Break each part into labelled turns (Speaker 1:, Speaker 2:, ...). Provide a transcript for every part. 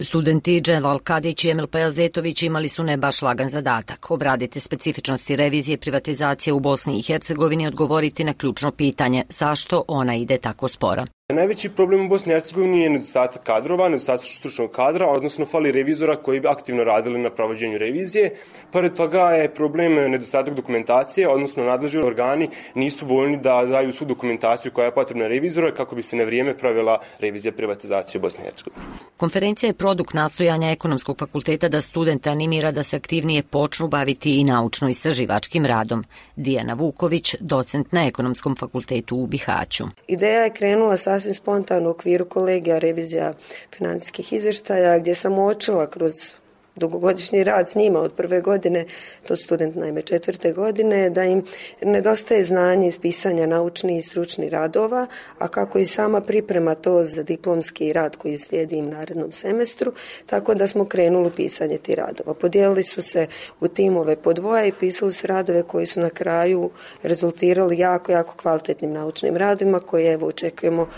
Speaker 1: Studenti Dželal Kadić i Emil Pajazetović imali su ne baš lagan zadatak. Obraditi specifičnosti revizije privatizacije u Bosni i Hercegovini i odgovoriti na ključno pitanje zašto ona ide tako sporo.
Speaker 2: Najveći problem u Bosni i Hercegovini je nedostatak kadrova, nedostatak stručnog kadra, odnosno fali revizora koji bi aktivno radili na provođenju revizije. Pored toga je problem nedostatak dokumentacije, odnosno nadležni organi nisu voljni da daju svu dokumentaciju koja je potrebna revizora kako bi se na vrijeme provela revizija privatizacije u Bosni i Hercegovini.
Speaker 1: Konferencija je produkt nastojanja Ekonomskog fakulteta da studente animira da se aktivnije počnu baviti i naučno-istraživačkim radom. Dijana Vuković, docent na Ekonomskom fakultetu u Bihaću.
Speaker 3: Ideja je krenula sasvim spontano u okviru kolegija revizija financijskih izvještaja, gdje sam uočila kroz dugogodišnji rad s njima od prve godine, to student naime 4. godine, da im nedostaje znanje iz pisanja naučnih i stručnih radova, a kako i sama priprema to za diplomski rad koji slijedi im narednom semestru, tako da smo krenuli pisanje tih radova. Podijelili su se u timove po dvoje i pisali su radove koji su na kraju rezultirali jako kvalitetnim naučnim radovima koje evo očekujemo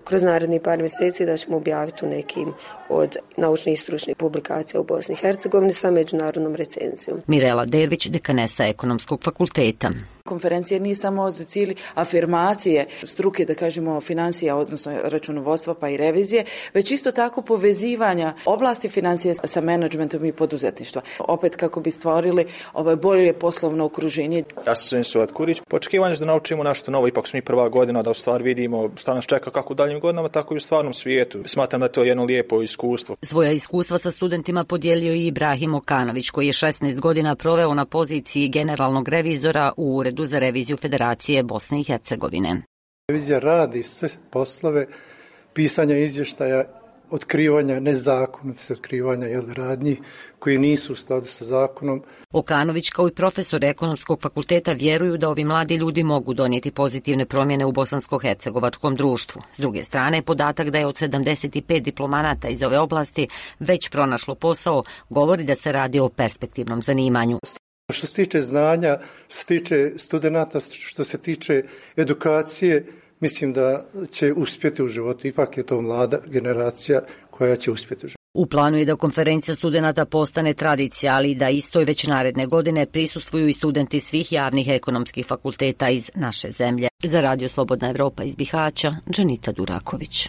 Speaker 3: kroz narednih par mjeseci da ćemo objaviti u nekim od naučnih i stručnih publikacija u Bosni i Hercegovini sa međunarodnom recenzijom.
Speaker 1: Mirela Dervić, dekanesa Ekonomskog fakulteta.
Speaker 4: Konferencija nije samo za cilj afirmacije struke, da kažemo, financija, odnosno računovodstva pa i revizije, već isto tako povezivanja oblasti financije sa menadžmentom i poduzetništva. Opet kako bi stvorili bolje poslovno okruženje.
Speaker 5: Ja sam Suad Kurić. Po očekivanju da naučimo nešto novo, ipak smo mi prva godina da u stvari vidimo šta nas čeka kako u daljim godinama, tako i u stvarnom svijetu. Smatram da je to jedno lijepo iskustvo.
Speaker 1: Svoja iskustva sa studentima podijelio i Ibrahim Okanović, koji je 16 godina proveo na poziciji generalnog revizora u Uredu za reviziju Federacije Bosne i Hercegovine.
Speaker 6: Revizija radi sve poslove pisanja izvještaja, otkrivanja nezakonitosti, otkrivanja radnji koji nisu u skladu sa zakonom.
Speaker 1: Okanović kao i profesor Ekonomskog fakulteta vjeruju da ovi mladi ljudi mogu donijeti pozitivne promjene u bosansko-hercegovačkom društvu. S druge strane, podatak da je od 75 diplomanata iz ove oblasti već pronašlo posao govori da se radi o perspektivnom zanimanju.
Speaker 6: Što se tiče znanja, što se tiče studenata, što se tiče edukacije, mislim da će uspjeti u životu. Ipak je to mlada generacija koja će uspjeti u životu.
Speaker 1: U planu je da konferencija studenata postane tradicija, ali da istoj već naredne godine prisustvuju i studenti svih javnih ekonomskih fakulteta iz naše zemlje. Za Radio Slobodna Evropa iz Bihaća, Džanita Duraković.